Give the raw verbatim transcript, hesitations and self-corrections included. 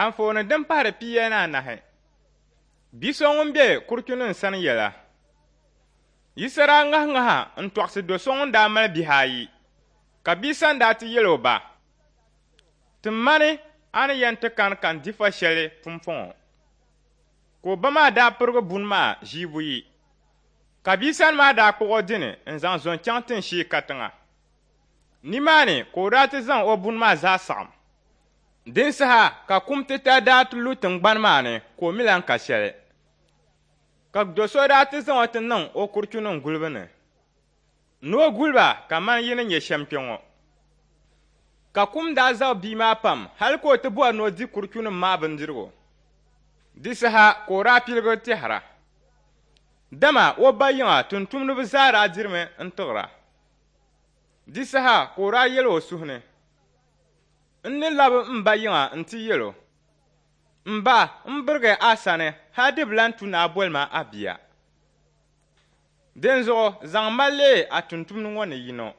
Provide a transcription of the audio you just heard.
Anfooni din pahiri pia ni anahi. Bi so ŋun be kuruchunim sani yɛla. Yisa daa ŋahi ŋaha n-tɔɣisi do so ŋun daa mali bihi ayi, ka bia sani daa ti yɛl o ba, Tim ma ni a ni yɛn ti kani ka n di fa shɛli pumpɔŋɔ. Ka o ba maa daa pirigi buni maa ʒii buyi. Ka bia sani maa daa kpuɣ o dini n-zaŋ zo n-chaŋ tinshee katiŋa. Nimaani ka o daa ti zaŋ o buni maa zaa saɣim. Din saha ka kum titali daa ti lu tiŋgbani maa ni ka o mi lan ka shɛli. Ka do so daa ti zaŋ o ti niŋ o kuruchunim gulibu ni, ni o guli ba kaman yi ni nya shɛm kpe ŋɔ. Ka kum daa zabi bia maa pam hal ka o ti bɔri ni o di kuruchunim maa bindirigu. Di saha ka o daa piligi tɛhira, dama o ba yiŋa tumtumdiba zaa daa dirimi n-tiɣira. Di saha ka o daa yɛl o suhu ni, N ni labi m ba yiŋa nti yɛl o, M ba, m birigi a sani hal di bi lan tu ni a boli ma a bia. Dinzuɣu zaŋm ma leei a tumtumdi ŋɔ ni yino.